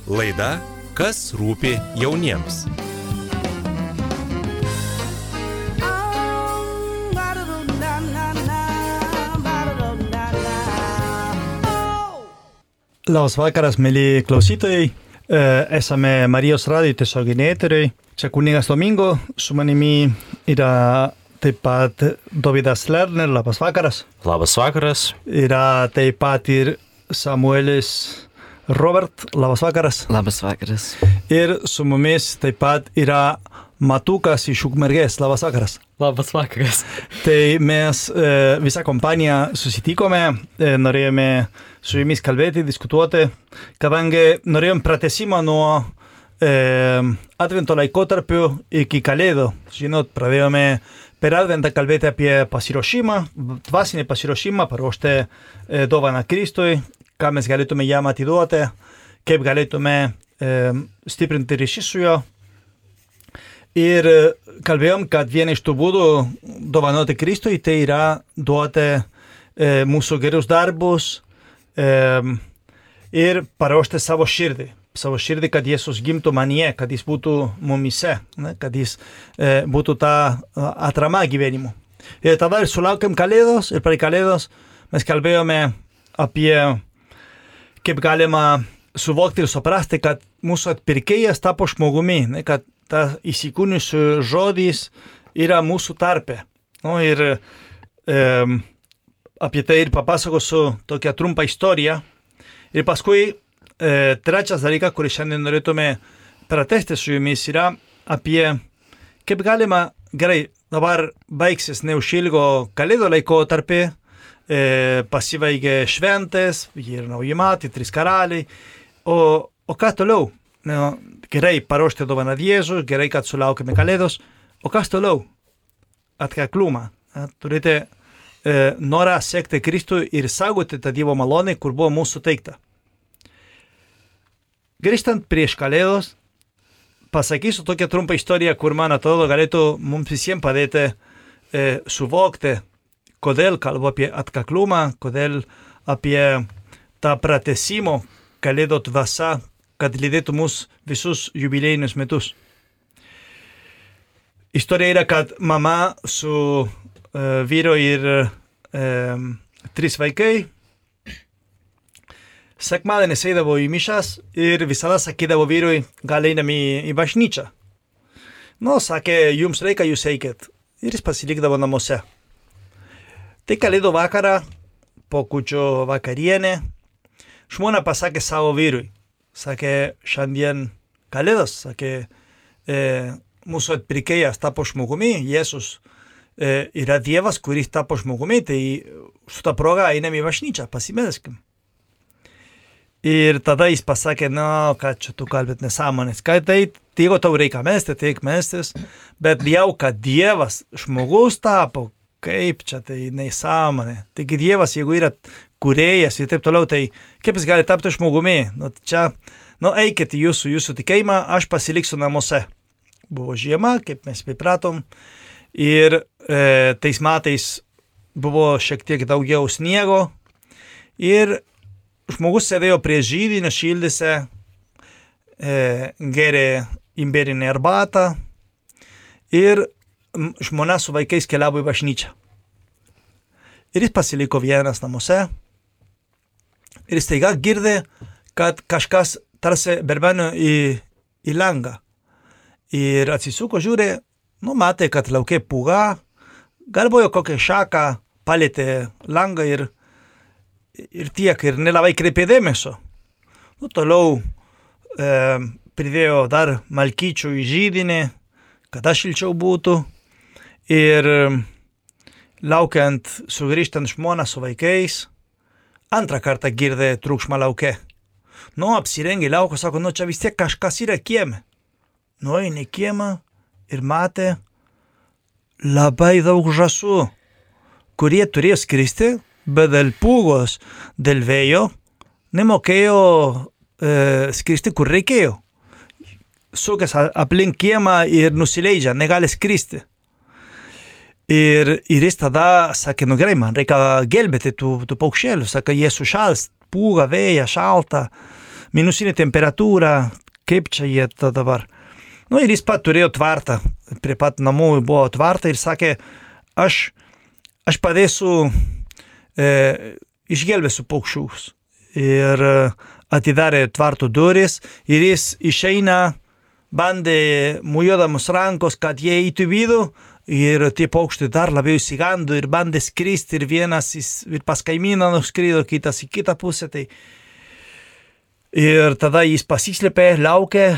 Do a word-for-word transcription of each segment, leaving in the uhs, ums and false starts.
Laida Kas rūpi jauniems. Labas vakaras, mėly klausytojai. Esame Marijos radijo tiesioginiai eteriai. Čia kunigas Domingo, su manimi yra taip pat Dovydas Lerner. Labas vakaras. Labas vakaras. Yra taip pat ir Samuelis Robert. Labas vakaras. Labas vakaras. Ir su mumis taip pat yra Matukas iš Ukmergės. Labas vakaras. Labas vakaras. Tai mes e, visą kompaniją susitikome, e, norėjome su jumis kalbėti, diskutuoti, kadangi norėjom pratesimą nuo e, Advento laikotarpių iki Kalėdų. Žinot, pradėjome per Adventą kalbėti apie pasiruošimą, dvasinį pasiruošimą, paruošti e, dovaną Kristui, ką mes galėtume jam atiduoti, kaip galėtume e, stiprinti ryšį su juo. Ir kalbėjom, kad viena iš tų būdų dovanoti Kristui, tai yra duoti e, mūsų gerus darbus e, ir paruošti savo širdį. Savo širdį, kad Jėzus gimtų manyje, kad jis būtų mumise, ne, kad jis e, būtų ta atrama gyvenimo. Ir tada ir sulaukėm Kalėdos, ir per Kalėdos mes kalbėjome apie kaip galima suvokti ir suprasti, kad mūsų atpirkėjas tapo žmogumi, ne, kad ta įsikūniusių žodis yra mūsų tarpe. Nu, ir e, apie tai ir papasakosiu tokią trumpą istoriją. Ir paskui e, trečias dalykas, kurį šiandien norėtume pratęsti su jumis, yra apie kaip galima, gerai, dabar baigsis neužilgo Kalėdų laikotarpį, e, pasibaigė šventės, ir nauji metai, trys karaliai, o, o ką toliau? No, gerai paruošti dovaną Jėzui, gerai, kad sulaukėme Kalėdos, o kas toliau? Atkaklumą. Turite e, norą sekti Kristų ir saugoti tą Dievo malonę, kur buvo mūsų teikta. Grįžtant prieš Kalėdos, pasakysiu tokią trumpą istoriją, kur man atrodo galėtų mums visiems padėti e, suvokti, kodėl kalbu apie atkaklumą, kodėl apie tą pratęsimo Kalėdų dvasią, kad lydėtų mus visus jubiliejinius metus. Istorija yra, kad mama su uh, vyru ir uh, trys vaikai sekmadienį eidavo į mišas ir visada sakydavo vyrui, gal einam į, į bažnyčią. Nu, sakė, jums reikia, jūs eikit. Ir jis pasilikdavo namuose. Tai Kalėdų vakarą, po kūčio vakarienė, žmona pasakė savo vyrui. Sakė, šiandien Kalėdos, sakė, e, mūsų atpirkėjas tapo žmogumi, Jėzus e, yra Dievas, kuris tapo žmogumi, tai su ta proga einam į bažnyčią, pasimelskim. Ir tada jis pasakė, no, kad čia tu kalbėt nesąmonės, kad tai, jeigu tau reikia melstis, tai melstis, bet jau, kad Dievas žmogus tapo, kaip čia tai nesąmonė. Taigi Dievas, jeigu yra kūrėjas ir taip toliau, tai kaip jis gali tapti žmogumi? Nu, čia, nu, eikit jūsų, jūsų tikėjimą, aš pasiliksiu namuose. Buvo žiema, kaip mes pripratom, ir e, tais metais buvo šiek tiek daugiau sniego, ir žmogus sėdėjo prie židinio, šildėsi, e, gėrė imberinę arbatą, ir žmona su vaikais keliavo į bažnyčią. Ir jis pasiliko vienas namuose, ir staiga girdė, kad kažkas tarsi berbeno į, į langą. Ir atsisuko, žiūrė, nu, matė, kad lauke pūga, galvojo kokią šaką, palėtė langą ir, ir tiek, ir nelabai kreipė dėmesio. Nu, toliau e, pridėjo dar malkyčių į židinį, kad aš šilčiau būtų. Ir laukiant, sugrįžtant žmoną su vaikais, antrą kartą girdė triukšmą lauke. Nu, apsirengė lauko, sako, nu, čia vis tiek kažkas yra kieme. Nueina į kiemą ir matė labai daug žąsų, kurie turėjo skristi, bet dėl pūgos, dėl vėjo, nemokėjo e, skristi, kur reikėjo. Sukės aplink kiemą ir nusileidžia, negali skristi. Ir, ir jis tada sakė, nu gerai, man reikia gelbėti tų, tų paukščielių, sakė, jie sušals, pūga, vėja, šalta, minusinė temperatūra, kaip čia jie tada dabar. Nu ir jis pat turėjo tvartą, prie pat namų buvo tvartą ir sakė, aš, aš padėsiu, e, išgelbėsiu paukščius. Ir atidarė tvartų duris ir jis išeina, bandė mujuodamus rankos, kad jie eitų vidų. Ir tie paukštai dar labiau įsigando ir bandė skristi ir vienas ir pas kaimyną nuskrido, kitas į kitą pusę. Tai... Ir tada jis pasislėpė, laukė,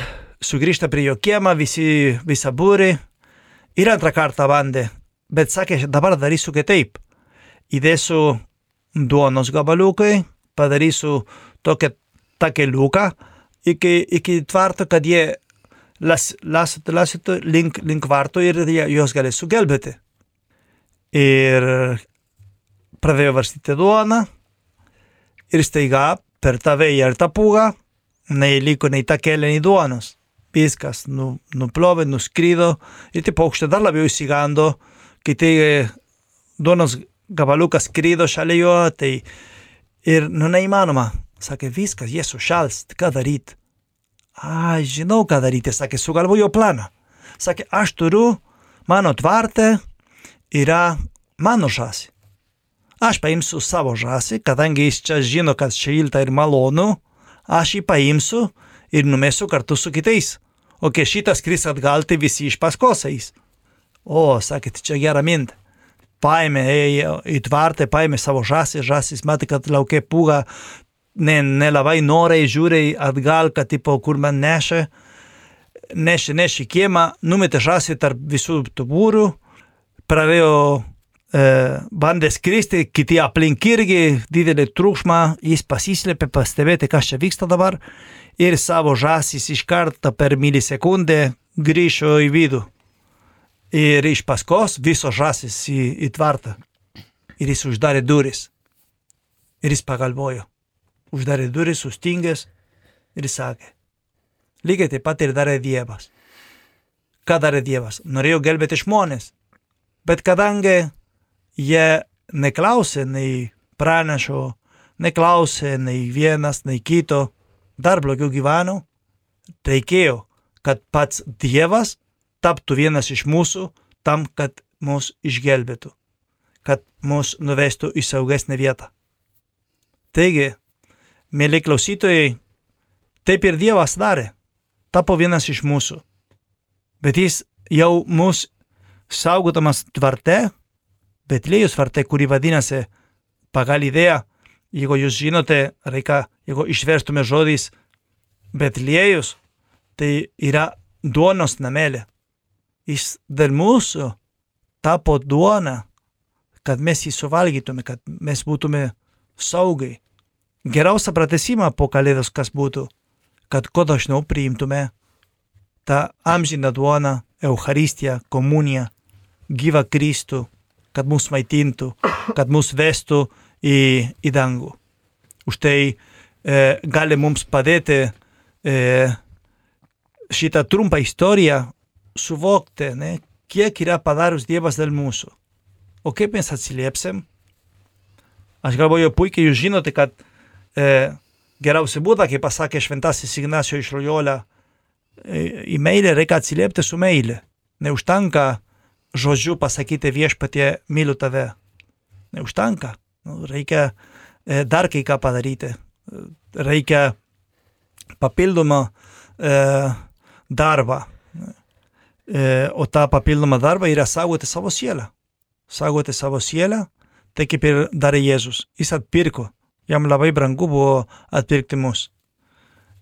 sugrįžta prie jo kiemą, visi, visą būrį ir antrą kartą bandė. Bet sakė, dabar darysiu kitaip. Įdėsiu duonos gabaliukai, padarysiu tokią takeliuką iki, iki tvarto, kad jie Las, las, lasito link, link varto ir jos galės sugelbėti. Ir pradėjo varstyti duoną ir staiga per tą vėją ir tą pūgą neįliko nei takelė, nei duonos. Viskas nu, nuplovė, nuskrido ir tie paukščiai dar labiau įsigando, kai tai duonos gabaliukas skrido šalia jo, tai ir nu neįmanoma. Sakė, viskas, jie sušals, ką daryti? A, žinau, ką daryti, sakė, sugalvojo planą. Sakė, aš turiu, mano tvarte yra mano žąsį. Aš paimsiu savo žąsį, kadangi jis čia žino, kad šilta ir malonu, aš jį paimsiu ir numesiu kartu su kitais. O kai šitas skris atgal, tai visi iš paskos eis. O, sakė, tai čia gera mintė. Paėmė į tvartą, paėmė savo žąsį, žąsis matė, kad laukia pūga, Ne, nelabai norai žiūrė atgal, kad tipo, kur man nešė, nešė, nešė kiemą, numetė žąsį tarp visų tų būrių, pradėjo e, bandė skristi, kiti aplink irgi, didelį triukšmą, jis pasislėpė, pastebėti, kas čia vyksta dabar, ir savo žąsis iš karto per milisekundę grįžo į vidų. Ir iš paskos visos žąsis į, į tvartą. Ir jis uždarė duris. Ir jis pagalvojo. Uždarė duris, sustingęs ir sakė, lygiai taip pat ir darė Dievas. Ką darė Dievas? Norėjo gelbėti žmonės, bet kadangi jie neklausė nei pranašo, neklausė nei vienas, nei kito, dar blogiau gyveno, reikėjo, kad pats Dievas taptų vienas iš mūsų tam, kad mus išgelbėtų, kad mus nuvestų į saugesnę vietą. Taigi, mėly klausytojai, taip ir Dievas darė, tapo vienas iš mūsų. Bet jis jau mus saugodamas tvarte, Betlėjus tvarte, kuri vadinasi pagal idėją, jeigu jūs žinote, reikia, jeigu išverstume žodis Betlėjus, tai yra duonos namelė. Jis dėl mūsų tapo duona, kad mes jį suvalgytume, kad mes būtume saugai. Geriausia pratesimą po kalėdos kas būtų, kad kuo dažniau priimtume tą amžiną duoną, Eucharistiją, komuniją, gyvą Kristų, kad mus maitintų, kad mus vestų į, į dangų. Už tai e, gali mums padėti e, šitą trumpą istoriją suvokti, ne, kiek yra padarus Dievas dėl mūsų. O kaip mes atsiliepsim? Aš galvoju, puikiai jūs žinote, kad E, geriausia būda, kaip pasakė šventasis Ignacio iš Loyola, e, į meilę reikia atsiliepti su meilė. Neužtenka žodžiu pasakyti viešpatie, myliu tave. Neužtenka. Nu, reikia e, dar kai ką padaryti. Reikia papildomą e, darbą. E, o tą papildomą darbą yra saugoti savo sielą. Saugoti savo sielą, tai kaip ir darė Jėzus. Jis atpirko. Jam labai brangu buvo atpirkti mus.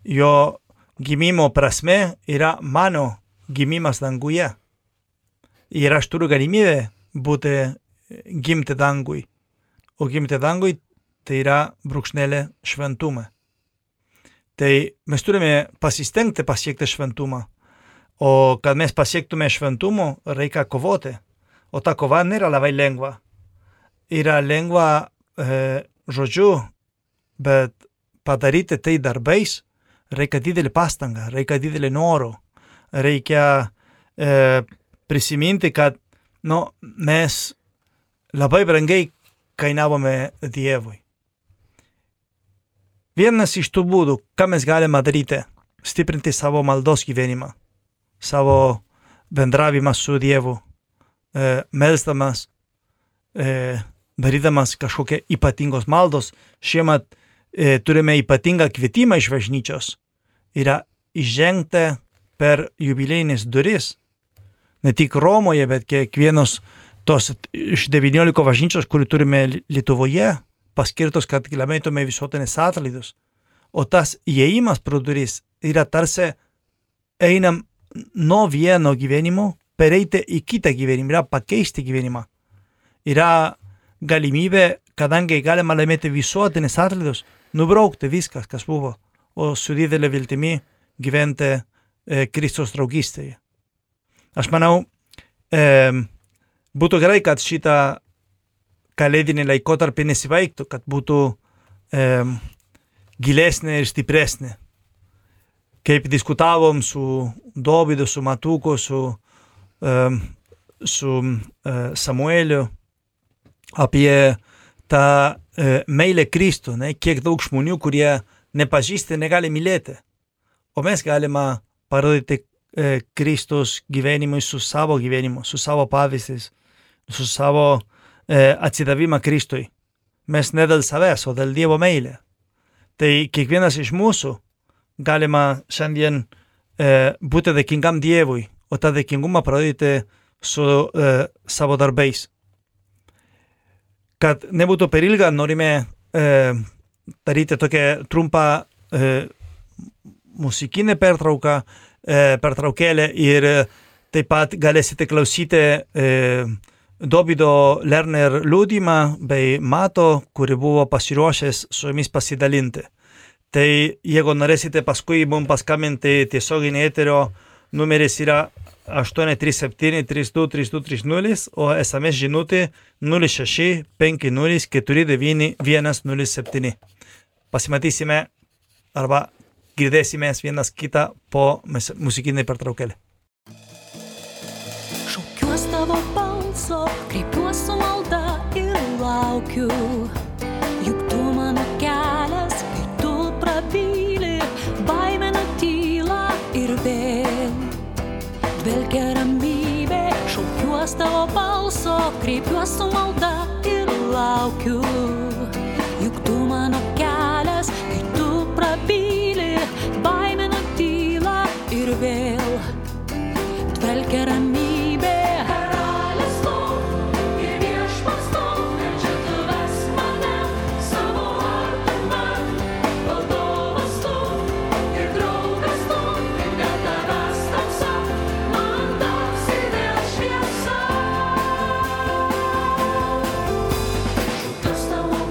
Jo gimimo prasme yra mano gimimas danguje. Ir aš turiu galimybę būti gimti dangui. O gimti dangui tai yra brūkšnelė šventumą. Tai mes turime pasistengti pasiekti šventumą. O kad mes pasiektume šventumo, reikia kovoti. O ta kova nėra labai lengva. Yra lengva e, žodžiu, bet padaryti tai darbais reikia didelį pastangą, reikia didelį norų, reikia e, prisiminti, kad Nu, mes labai brangiai kainavome Dievui. Vienas iš tų būdų, ką mes galime daryti, stiprinti savo maldos gyvenimą, savo bendravimą su Dievu, e, melsdamas, e, darydamas kažkokią ypatingos maldos. Šiemet e, turime ypatingą kvietimą iš bažnyčios. Yra įžengti per jubiliejinis duris. Ne tik Romoje, bet kiekvienos tos iš devyniolika bažnyčios, kurį turime Lietuvoje, paskirtos, kad gyventume visuotinės atlaidus. O tas įėjimas pro duris yra tarsi einam nuo vieno gyvenimo, pereiti į kitą gyvenimą, yra pakeisti gyvenimą. Yra galimybė, kadangi galima laimėti visuotinės atlaidus, nubraukti viskas, kas buvo, o su didelė viltimi gyventi e, Kristus draugystėje. Aš manau, e, būtų gerai, kad šitą kalėdinį laikotarpį nesibaigtų, kad būtų e, gilesnė ir stipresnė. Kaip diskutavom su Dovydu, su Matuku, su, e, su e, Samueliu apie tą e, meilę Kristų, ne? Kiek daug žmonių, kurie nepažįsta, negali mylėti. O mes galime parodyti e, Kristus gyvenimui su savo gyvenimu, su savo pavyzdžiais, su savo e, atsidavimą Kristui. Mes ne dėl savęs, o dėl Dievo meilė. Tai kiekvienas iš mūsų galima šiandien e, būti dėkingam Dievui, o tą dėkingumą parodyti su e, savo darbais. Kad nebūtų per ilga, norime e, daryti tokią trumpą e, muzikinę pertrauką, e, pertraukėlę ir taip pat galėsite klausyti e, Dovydo Lerner liudijimą bei Mato, kuri buvo pasiruošęs su jumis pasidalinti. Tai jeigu norėsite paskui mums paskambinti tiesioginį eterio, numeris yra aštuoni trys septyni trys du trys du trys nulis, o es em es žinutė nulis šeši penki nulis keturi devyni vienas nulis septyni. Pasimatysime arba girdėsimės vienas kitą po muzikinį pertraukėlį. Šaukiuos tavo balso, kreipiuos su malda ir laukiu, juk tu mano kelias, kai tu prabyli, baimę nutyla ir vėl dvelkia ramybė. Šaukiuos tavo balso, kreipiuos su malda ir laukiu, juk tu mano kelias, kai tu prabyli, baimė nutyla ir vėl dvelkia ramybė. Tavo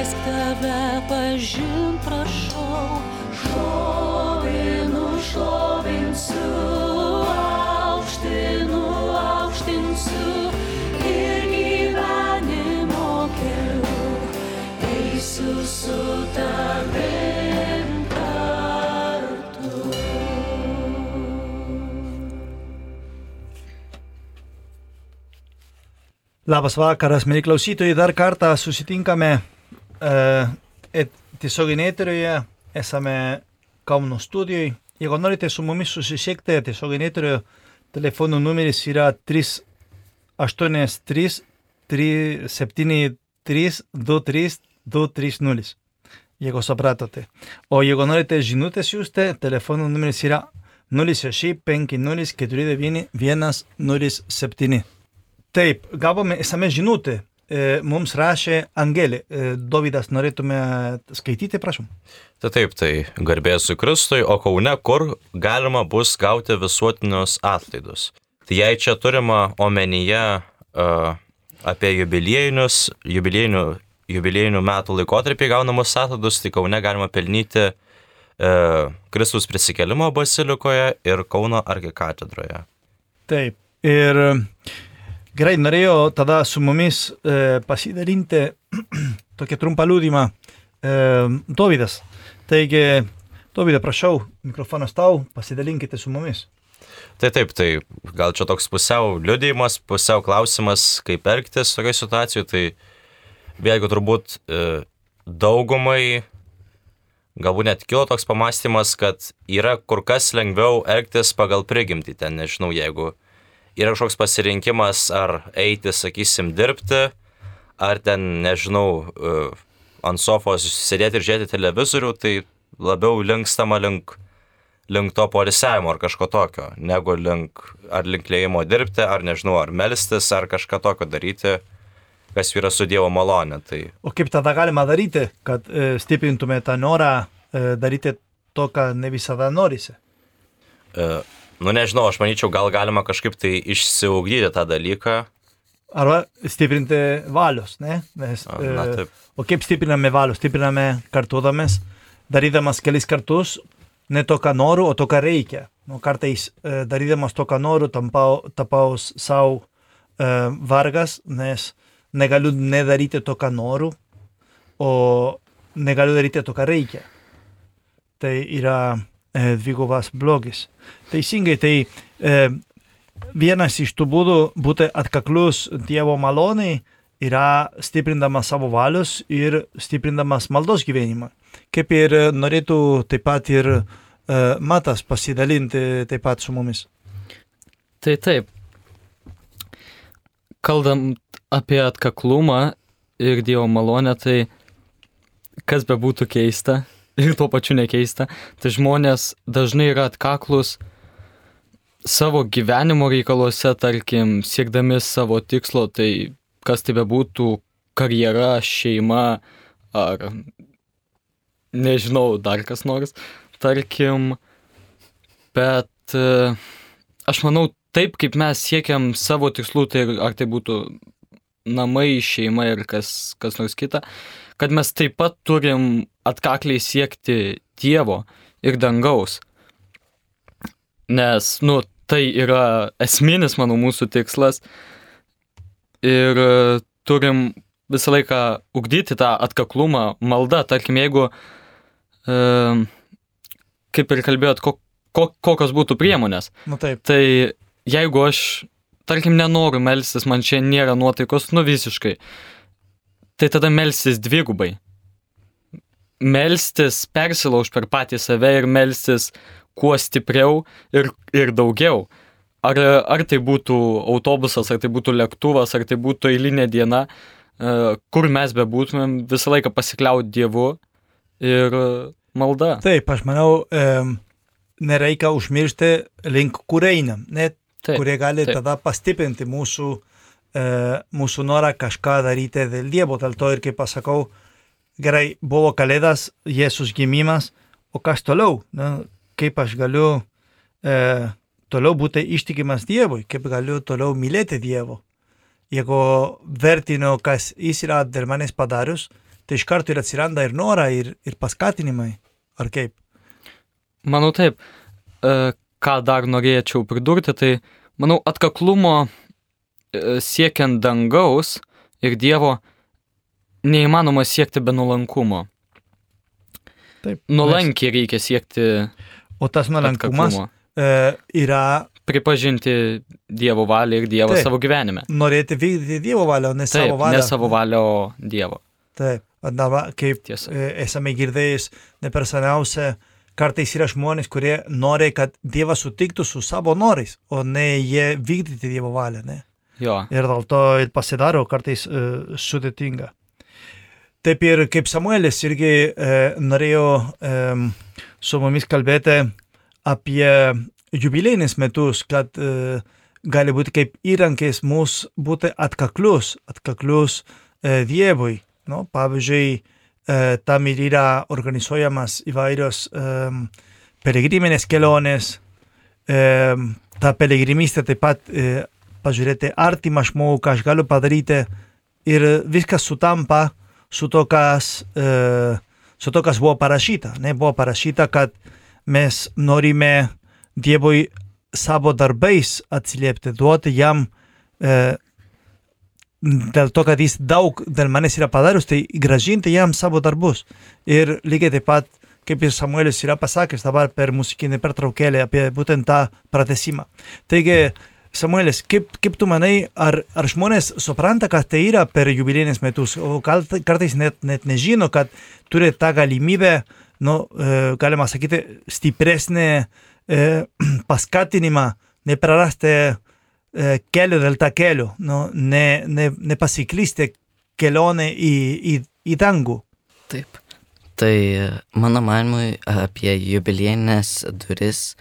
leisk tave pažint, prašau. Šlovinu, šlovinsiu, aukštinu, aukštinsiu ir gyvenimo keliu eisiu su tavim kartu. Labas vakaras, mėly klausytojai, dar kartą susitinkame e, tiesioginėje eterioje, esame Kauno studijoje. Jeigu norite su mumis susisiekti, tiesioginėje eterioje telefonų numeris yra trys aštuoni trys trys septyni trys du trys du trys nulis. Jeigu supratote. O jeigu norite žinutės siųsti, telefonų numeris yra nulis šeši penki nulis keturi devyni vienas nulis septyni. Taip, gavome esame žinutę. E, mums rašė Angelė. E, Dovydas, norėtume skaityti, prašom. Tai taip, tai garbėsiu Kristui, o Kaune kur galima bus gauti visuotinius atlaidus. Tai jei čia turima omenyje uh, apie jubiliejinius, jubiliejinių, jubiliejinių metų laikotarpį gaunamus atlaidus, tai Kaune galima pelnyti uh, Kristaus prisikėlimo bazilikoje ir Kauno arkikatedroje. Taip, ir gerai, norėjau tada su mumis e, pasidalinti tokią trumpą liudymą. E, Dovydas. Taigi, Dovydai, prašau, mikrofonas tau, pasidalinkite su mumis. Tai taip, tai gal čia toks pusiau liudijimas, pusiau klausimas, kaip elgtis tokioje situacijoje. Tai vėlgi turbūt e, daugumai galbūt net kilo toks pamastymas, kad yra kur kas lengviau elgtis pagal prigimtį. Ten, nežinau, jeigu yra kažkoks pasirinkimas, ar eiti, sakysim, dirbti, ar ten, nežinau, ant sofos sėdėti ir žiūrėti televizorių, tai labiau linkstama link, link to poilsiavimo ar kažko tokio, negu link, ar link lėjimo dirbti, ar, nežinau, ar melstis, ar kažką tokio daryti, kas yra su Dievo malonė. Tai... O kaip tada galima daryti, kad e, stiprintume tą norą e, daryti to, ką ne visada norisi? E, Nu, nežinau, aš manyčiau, gal galima kažkaip tai išsiugdyti tą dalyką. Arba stiprinti valios, ne? Nes, Na, taip. E, o kaip stipriname valios? Stipriname kartuodamas, darydamas kelis kartus, ne to, ką noriu, o to, ką reikia. Nu, kartais e, darydamas to, ką noriu, tampau, tapau savo e, vargas, nes negaliu nedaryti to, ką noriu, o negaliu daryti to, ką reikia. Tai yra dvigubas blogis. Teisingai, tai e, vienas iš tų būdų būti atkaklus Dievo maloniai yra stiprindamas savo valios ir stiprindamas maldos gyvenimą. Kaip ir norėtų taip pat ir e, Matas pasidalinti taip pat su mumis. Tai taip. Kalbant apie atkaklumą ir Dievo malonę, tai kas bebūtų keista, ir tuo pačiu nekeista, tai žmonės dažnai yra atkaklus savo gyvenimo reikaluose, tarkim, siekdami savo tikslo, tai kas tai bebūtų karjera, šeima ar nežinau, dar kas nors, tarkim, bet aš manau, taip kaip mes siekiam savo tikslų, tai ar tai būtų namai, šeima ir kas, kas nors kita, kad mes taip pat turim atkakliai siekti Dievo ir dangaus. Nes, nu, tai yra esminis, manau, mūsų tikslas. Ir turim visą laiką ugdyti tą atkaklumą, maldą. Tarkim, jeigu, e, kaip ir kalbėjot, ko, ko, kokios būtų priemonės. Nu, taip. Tai jeigu aš, tarkim, nenoriu melstis, man čia nėra nuotaikos, nu visiškai, tai tada melstis dvigubai. Melstis persilauž per patį save ir melstis kuo stipriau ir, ir daugiau. Ar, ar tai būtų autobusas, ar tai būtų lėktuvas, ar tai būtų eilinė diena, kur mes bebūtumėm, visą laiką pasikliauti Dievu ir malda. Taip, aš manau, e, nereikia užmiršti link, kur einam, net taip, kurie gali taip. Tada pastiprinti mūsų, e, mūsų norą kažką daryti dėl Dievo. Dėl to ir kaip pasakau, gerai, buvo Kalėdas, Jėzus gimimas, o kas toliau? Na, kaip aš galiu e, toliau būti ištikimas Dievui, kaip galiu toliau mylėti Dievo. Jeigu vertinu, kas jis yra dėl manęs padarius, tai iš karto ir atsiranda ir norą, ir, ir paskatinimai, ar kaip? Manau taip, e, ką dar norėčiau pridurti, tai manau atkaklumo e, siekiant dangaus ir Dievo neįmanoma siekti be nuolankumo. Taip. Nuolankiai reikia siekti O tas nuolankumas atkaklumo. e, yra Pripažinti Dievo valią ir Dievą Taip. savo gyvenime. norėti vykdyti Dievo valią, o ne Taip, savo valią. ne savo valią, o Dievo. Taip, dabar kaip Tiesa. e, esame girdėjus ne per seniausia, kartais yra žmonės, kurie nori, kad Dievas sutiktų su savo norais, o ne jie vykdyti Dievo valią, ne? Jo. Ir dėl to ir pasidaro kartais e, sudėtinga. Taip ir kaip Samuelis irgi e, norėjo e, su mumis kalbėti apie jubilėjinis metus, kad e, gali būti kaip įrankis mūsų būti atkaklus, atkaklus e, Dievui. No, pavyzdžiui, e, tam ir yra organizuojamas įvairios e, pelegriminės kelionės, e, ta pelegrimystė taip pat e, pažiūrėti artimą žmogų, ką aš galiu padaryti ir viskas sutampa su to, kas, e, su to, kas buvo parašyta. Ne? Buvo parašyta, kad mes norime Dievui savo darbais atsiliepti, duoti jam e, dėl to, kad jis daug dėl manęs yra padarius, tai gražinti jam savo darbus. Ir lygiai taip pat, kaip ir Samuelis yra pasakęs dabar per muzikinį pertraukėlę apie būtent tą pratesimą. Taigi, Samuelis, kaip, kaip tu manai, ar, ar žmonės supranta, kad tai yra per jubilėjinis metus, o gal, kartais net, net nežino, kad turi tą galimybę, nu, e, galima sakyti, stipresnį e, paskatinimą, neprarasti e, kelio dėl tą kelio, nu, ne, ne, nepasiklysti kelionę į, į, į dangų. Taip. Tai mano manimui apie jubiliejines duris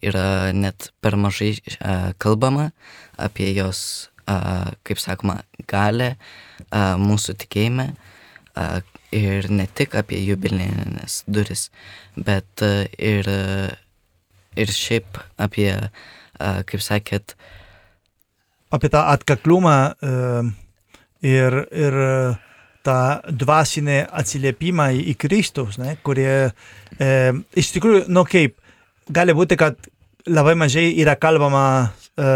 yra net per mažai a, kalbama apie jos, a, kaip sakoma, galę a, mūsų tikėjime a, ir ne tik apie jubiliejines duris, bet a, ir, ir šiaip apie, a, kaip sakėt, Apie tą atkaklumą e, ir, ir tą dvasinį atsiliepimą į, į Kristus, ne, kurie e, iš tikrųjų, nu kaip, gali būti, kad labai mažai yra kalbama e,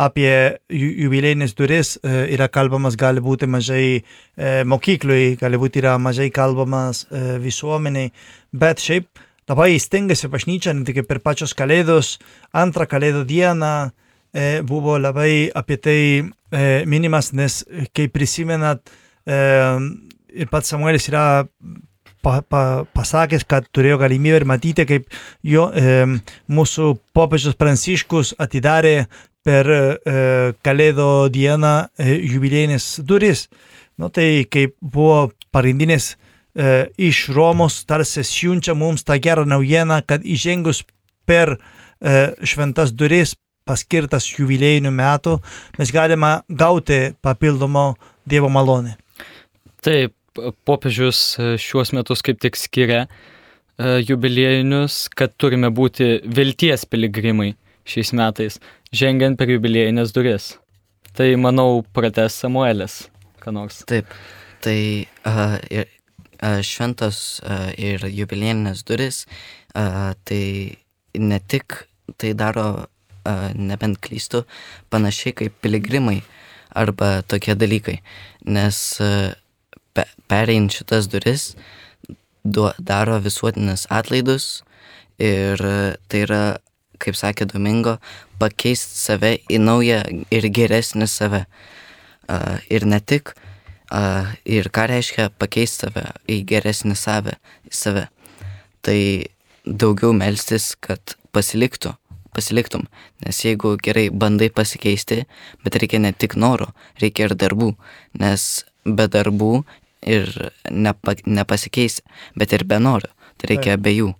apie ju- jubilėjinis duris, e, yra kalbamas gali būti mažai e, mokyklui, gali būti yra mažai kalbamas e, visuomeniai, bet šiaip labai stengiasi bažnyčia, ne tik per pačios kalėdos, antrą kalėdų dieną, e, buvo labai apie tai e, minimas, nes kaip prisimenat, e, ir pats Samuelis yra pa, pa, pasakęs, kad turėjo galimybę ir matyti, kaip jo, e, mūsų popiežius Pranciškus atidarė per e, kalėdų dieną e, jubilėjinis duris. Nu, tai kaip buvo pagrindinės e, iš Romos, tarsi siunčia mums tą gerą naujieną, kad įžengus per e, šventas duris paskirtas jubiliejinių metų, mes galime gauti papildomo Dievo malonę. Taip, popiežius šiuos metus kaip tik skiria e, jubiliejinius, kad turime būti vilties piligrimai šiais metais, žengiant per jubiliejinės duris. Tai, manau, pratęs Samuelis, ką nors. taip, tai a, ir, a, šventos a, ir jubiliejinės duris, a, tai ne tik tai daro, a, nebent klystu, panašiai kaip piligrimai arba tokie dalykai, nes a, pe, perėjant šitas duris du, daro visuotinis atlaidus ir a, tai yra, kaip sakė Domingo, pakeisti save į naują ir geresnį save. A, ir ne tik, a, ir ką reiškia pakeisti save į geresnį save, į save. Tai daugiau melstis, kad pasiliktų, pasiliktum, nes jeigu gerai bandai pasikeisti, bet reikia ne tik noro, reikia ir darbų, nes be darbų ir nepa, nepasikeisi, bet ir be noro, tai reikia abiejų.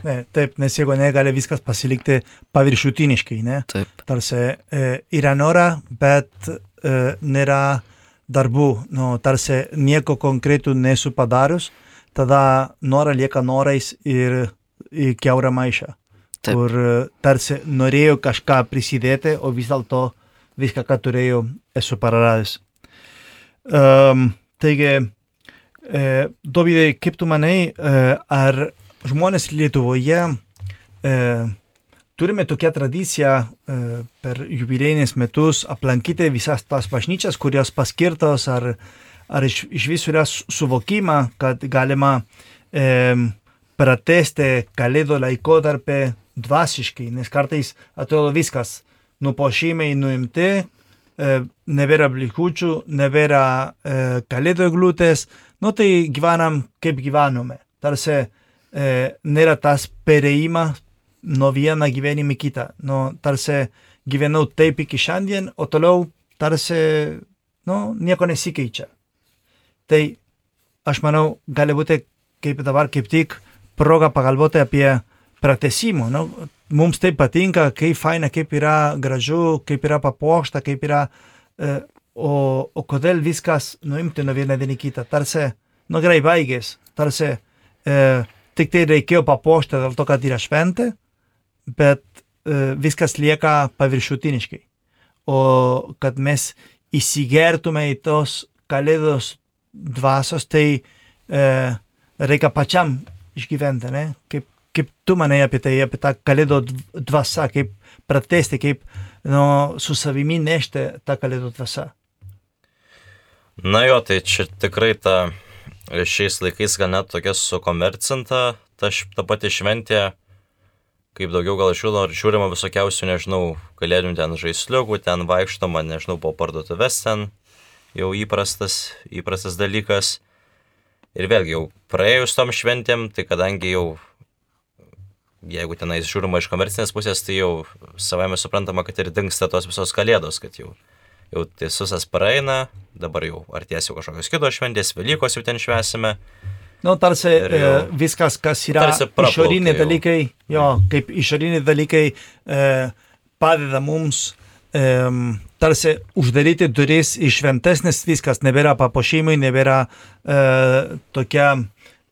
Ne, taip, nes jeigu ne, gali viskas pasilikti paviršutiniškai, ne? Taip, Tarsi e, yra nora, bet e, nėra darbų, nu, tarsi nieko konkretų nesu padarius, tada nora lieka norais ir į kiaurą maišą, Taip. kur e, tarsi norėjau kažką prisidėti, o vis dėlto viską, ką turėjau, esu praradęs. Um, taigi, E, Dovydai, kaip tu manai, e, ar žmonės Lietuvoje e, turime tokią tradiciją e, per jubiliejinius metus aplankyti visas tas bažnyčias, kurios paskirtos, ar, ar iš, iš visų yra suvokima, kad galima e, pratesti kalėdų laikotarpį dvasiškai, nes kartais atrodo viskas, nupuošimai nuimti, e, nebėra blikučių, nebėra e, kalėdų eglutės, nu tai gyvenam kaip gyvenome. Tarsi e, nėra tas perėjimas nuo vieną gyvenimą į kitą. Nu, tarsi gyvenau taip iki šiandien, o toliau tarsi nu, nieko nesikeičia. Tai aš manau, gali būti kaip dabar kaip tik proga pagalvoti apie pratesimą. Nu, mums tai patinka, kaip faina, kaip yra gražu, kaip yra papuošta, kaip yra... E, o, o kodėl viskas nuimti nuo vieną dieną kitą? Tarsi, nu gerai, baigės. Tarsi e, tik tai reikėjo papuošti dėl to, kad yra šventė, bet e, viskas lieka paviršutiniškai. O kad mes įsigertume į tos kalėdos dvasios, tai e, reikia pačiam išgyventi, ne? Kaip, kaip tu manai apie tai, apie tą kalėdų dvasą, kaip pratesti, kaip nu, su savimi nešti tą kalėdų dvasą. Na jo, tai čia tikrai ta šiais laikais gal net tokia sukomercinta, ta, ta pati šventė, kaip daugiau gal žiūrima, žiūrima visokiausių, nežinau, kalėdinių ten žaisliukų, ten vaikštoma, nežinau, po parduotuvės ten jau įprastas, įprastas dalykas. Ir vėlgi jau praėjus tom šventėm, tai kadangi jau, jeigu tenais žiūrima iš komercinės pusės, tai jau savame suprantama, kad ir dingsta tos visos kalėdos, kad jau, jau tai visas praeina, dabar jau artės jau kažkokios kitos šventės, Velykos jau ten švęsime. Nu, tarsi jau, e, viskas, kas yra išoriniai dalykai, jo, kaip išoriniai dalykai e, padeda mums e, tarsi uždaryti duris į šventesnis, viskas nebėra papuošimai, nebėra e, tokia,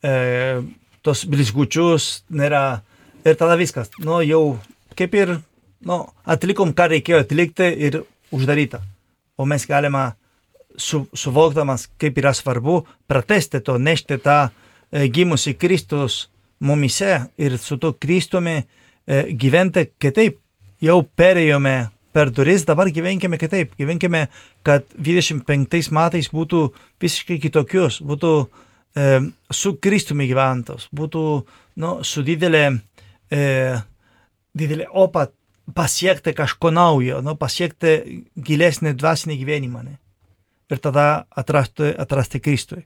e, tos blizgučius, nėra, ir tada viskas, nu, jau kaip ir, nu, atlikom, ką reikėjo atlikti ir uždaryta. O mes galime su, suvokdamas, kaip yra svarbu, pratesti to, nešti tą e, gimusi Kristus mumise ir su to Kristumi e, gyventi kitaip. Jau perėjome per duris, dabar gyvenkime kitaip. Gyvenkime, kad dvidešimt penktais metais būtų visiškai kitokius, būtų e, su Kristumi gyventos, būtų nu, su didelė, e, didelė opat pasiekti kažko naujo, nu, pasiekti gilesnį dvasinį gyvenimą. Ne? Ir tada atrasti, atrasti Kristui,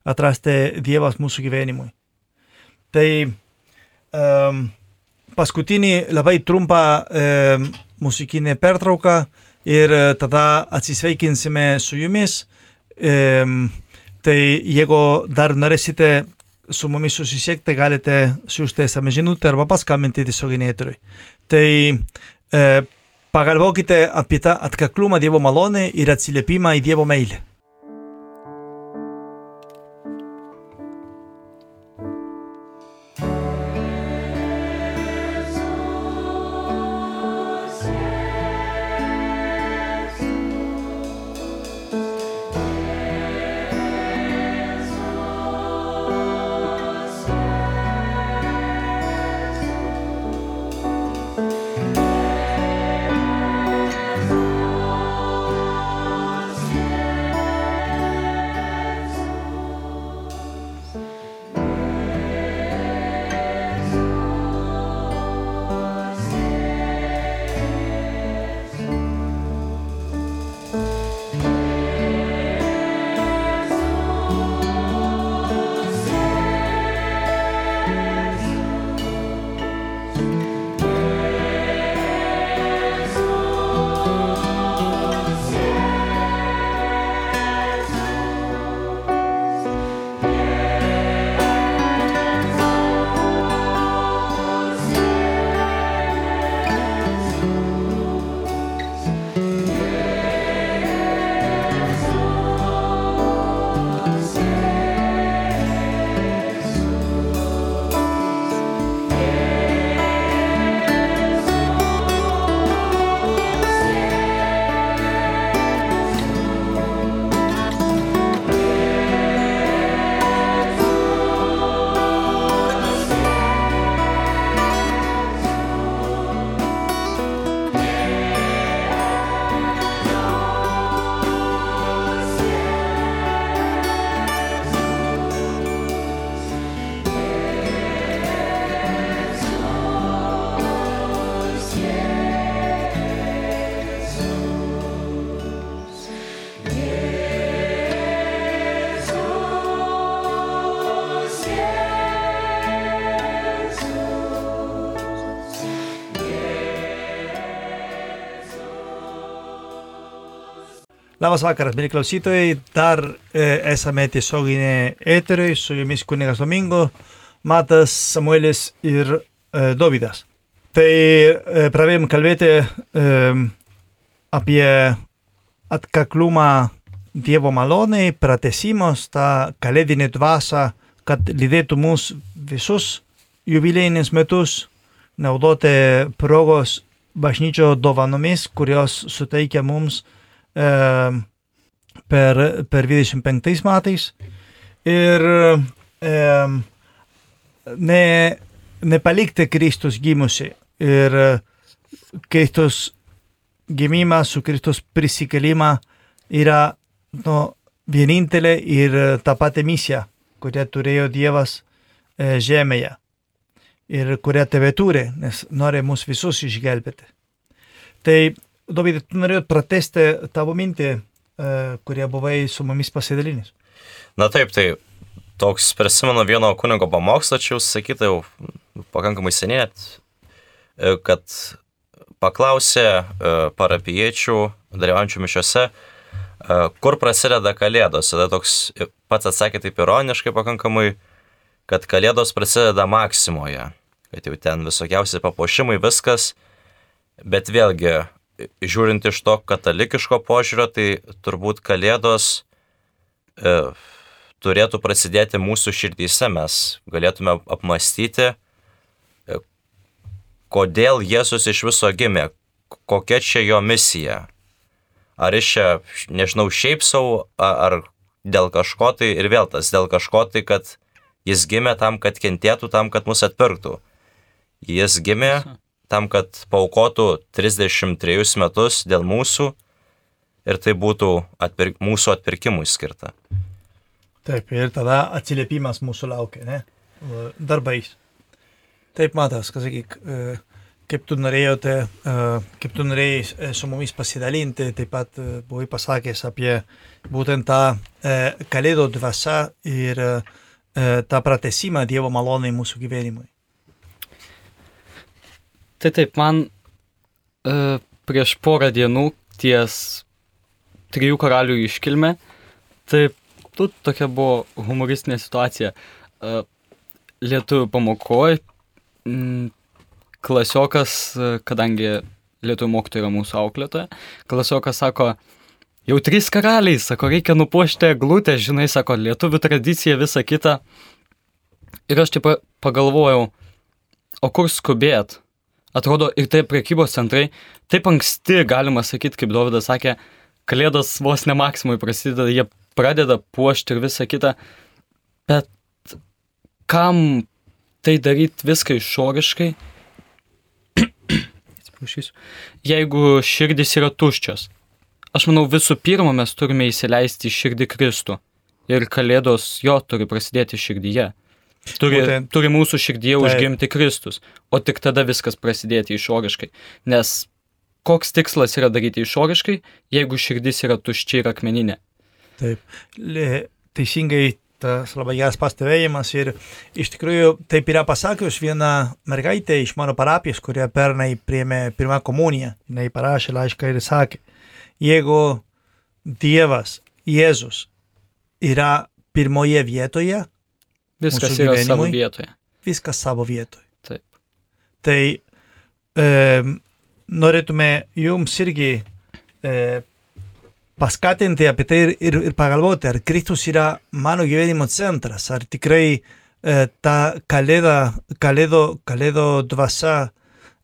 atrasti Dievas mūsų gyvenimui. Tai um, paskutinį labai trumpą um, muzikinę pertrauką ir tada atsisveikinsime su jumis. Um, tai jeigu dar norėsite su mumis susisiekti, galite siųsti es em es žinutę arba paskambinti tiesioginį eterį. Tai e, pagalvokite apie tą atkaklumą Dievo malonę ir atsiliepimą į Dievo meilę. Thank you. Labas vakaras, mėly klausytojai, dar e, esame tiesioginė eteriui, su jumis kunigas Domingo, Matas, Samuelis ir e, Dovydas. Tai e, pradėjom kalbėti e, apie atkaklumą Dievo malonei, pratęsimus, tą kalėdinį dvasą, kad lydėtų mus visus jubiliejinius metus, naudoti progos bažnyčio dovanomis, kurios suteikia mums e, per, per dvidešimt penktais metais. Ir e, ne, nepalikti Kristus gimusi. Ir Kristus gimimą su Kristus prisikelimą yra nu, vienintelė ir ta pati misija, kurią turėjo Dievas e, žemėje. Ir kurią tebe turi, nes nori mus visus išgelbėti. Tai, Dovydai, tu norėjot pratesti tavo mintį, e, kurie buvai su mumis pasidalinęs. Na taip, tai toks prisimenu vieno kunigo pamokslą, čia jau sakyta jau pakankamai seniai, kad paklausė parapijiečių, dalyvaujančių mišiose, kur prasideda kalėdos. Tada toks pats atsakė taip ironiškai pakankamai, kad kalėdos prasideda Maksimoje, kad jau ten visokiausi papuošimai, viskas, bet vėlgi, žiūrint iš to katalikiško požiūrio, tai turbūt kalėdos e, turėtų prasidėti mūsų širdyse, mes galėtume apmastyti, e, kodėl Jėzus iš viso gimė, kokia čia jo misija. Ar iš čia, nežinau, šiaip savo, ar dėl kažko tai, ir vėl tas dėl kažko tai, kad jis gimė tam, kad kentėtų, tam, kad mus atpirktų. Jis gimė tam, kad paaukotų trisdešimt trejus metus dėl mūsų ir tai būtų atpirk, mūsų atpirkimui skirta. Taip, ir tada atsiliepimas mūsų laukia, ne? Darbais. Taip, Matas, kas sakyk, kaip tu norėjote, kaip tu norėjai su mumis pasidalinti, taip pat buvai pasakęs apie būtent tą kalėdų dvasą ir tą pratęsimą Dievo malonai mūsų gyvenimui. Tai taip, man e, prieš porą dienų ties trijų karalių iškilme, taip, tu tokia buvo humoristinė situacija. E, lietuvių pamokoje m, klasiokas, kadangi lietuvių mokytoja yra mūsų auklėtoja, klasiokas sako, jau trys karaliai, sako, reikia nupuošti eglutę, žinai, sako, lietuvių tradicija, visa kita. Ir aš taip pagalvojau, o kur skubėt? Atrodo, ir tai prekybos centrai, taip anksti, galima sakyti, kaip Dovydas sakė, kalėdos vos ne Maksimui prasideda, jie pradeda puošti ir visa kita. Bet kam tai daryti viską išoriškai, jeigu širdis yra tuščios? Aš manau, visų pirma, mes turime įsileisti į širdį Kristų. Ir kalėdos jo turi prasidėti širdyje. Turi, Būtent, turi mūsų širdyje tai užgimti Kristus. O tik tada viskas prasidėti išoriškai. Nes koks tikslas yra daryti išoriškai, jeigu širdis yra tuščia ir akmeninė? Taip. Teisingai tas labai geras pastebėjimas. Ir iš tikrųjų taip yra pasakius viena mergaitė iš mano parapijos, kurie pernai priėmė pirmą komuniją. Jis parašė laišką ir sakė, jeigu Dievas, Jėzus yra pirmoje vietoje, viskas yra savo vietoje. Viskas savo vietoje. Taip. Tai e, norėtume jums irgi e, paskatinti apie tai ir, ir, ir pagalvoti, ar Kristus yra mano gyvenimo centras, ar tikrai e, ta kalėda, kalėdo, kalėdo dvasia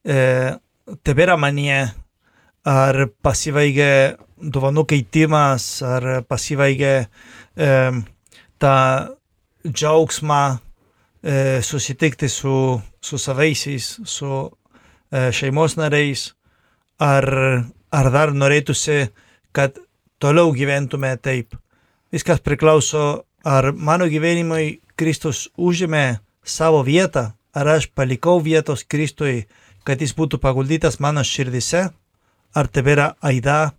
e, tebėra manyje, ar pasibaigia dovanų keitimas, ar pasibaigia e, ta džiaugsmą e, susitikti su, su savaisiais, su e, šeimos nariais, ar, ar dar norėtųsi, kad toliau gyventume taip. Viskas priklauso, ar mano gyvenimui Kristus užėmė savo vietą, ar aš palikau vietos Kristui, kad jis būtų paguldytas mano širdise, ar tebėra aida,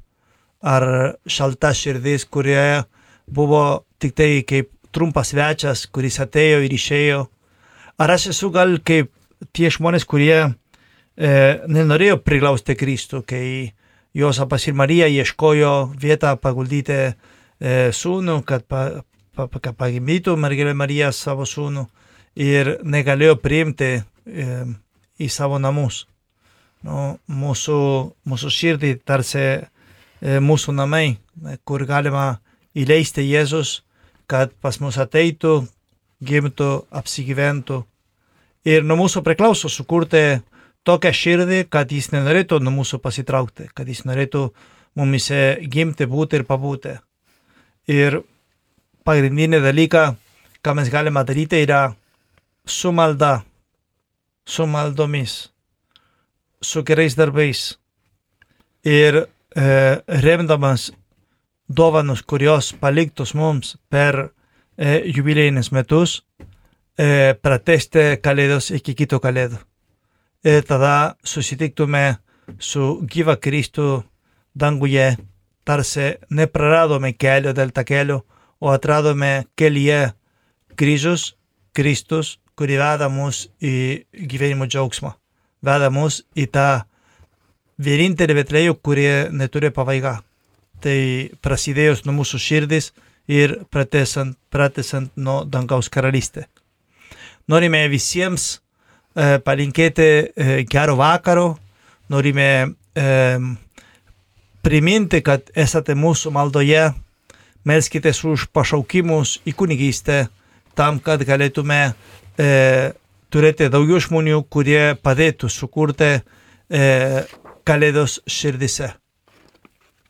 ar šalta širdis, kurioje buvo tik tai kaip trumpas svečias, kuris atėjo ir išėjo. Ar aš esu gal kaip tie žmonės, kurie e, nenorėjo priglausti Kristų, kai Jozapas ir Marija ieškojo vietą paguldyti e, sūnų, kad, pa, pa, kad pagimdytų mergelė Marija savo sūnų ir negalėjo priimti e, į savo namus. Nu, mūsų, mūsų širdį tarsi e, mūsų namai, kur galima įleisti Jėzus, kad pas mus ateitų, gimtų, apsigyventų. Ir nuo mūsų priklauso sukurti tokią širdį, kad jis nenorėtų nuo mūsų pasitraukti, kad jis norėtų mumise gimti, būti ir pabūti. Ir pagrindinė dalyka, ką mes galime daryti, yra su malda, su maldomis, su gerais darbais ir e, remdamas dovanus, kurios paliktos mums per e, jubilėjinius metus, e, pratesti kalėdos iki kito kalėdų. Ir tada susitiktume su gyva Kristų danguje, tarsi nepraradome kelio dėl tą kelio, o atradome kelyje kryžius, Kristus, kuri veda mus į gyvenimo džiaugsmą, veda mus į tą vienintelį Betlėjų, kurie neturi pabaigą. Tai prasidėjus nuo mūsų širdis ir pratesant, pratesant nuo dangaus karalystė. Norime visiems e, palinkėti e, gero vakaro, norime e, priminti, kad esate mūsų maldoje, melskitės už pašaukimus į kunigystę, tam, kad galėtume e, turėti daugiau žmonių, kurie padėtų sukurti e, kalėdos širdise.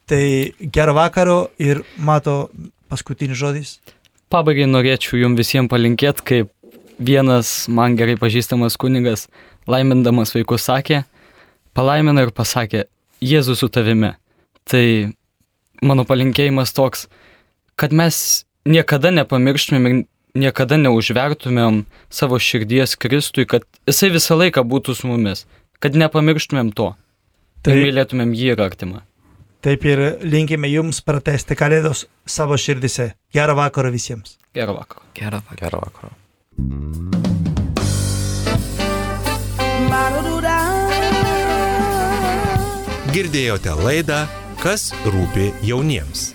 Tai gero vakaro ir Mato paskutinis žodis. Pabaigai norėčiau jums visiems palinkėti, kaip vienas man gerai pažįstamas kunigas, laimindamas vaikus sakė, palaimina ir pasakė, Jėzus su tavimi. Tai mano palinkėjimas toks, kad mes niekada nepamirštumėm ir niekada neužvertumėm savo širdies Kristui, kad jisai visą laiką būtų su mumis, kad nepamirštumėm to, tai mylėtumėm jį ir artimą. Taip ir linkime jums pratesti kalėdos savo širdise. Gerą vakarą visiems. Gerą vakarą. Gerą vakarą. Gerą vakarą. Girdėjote laidą Kas rūpi jauniems.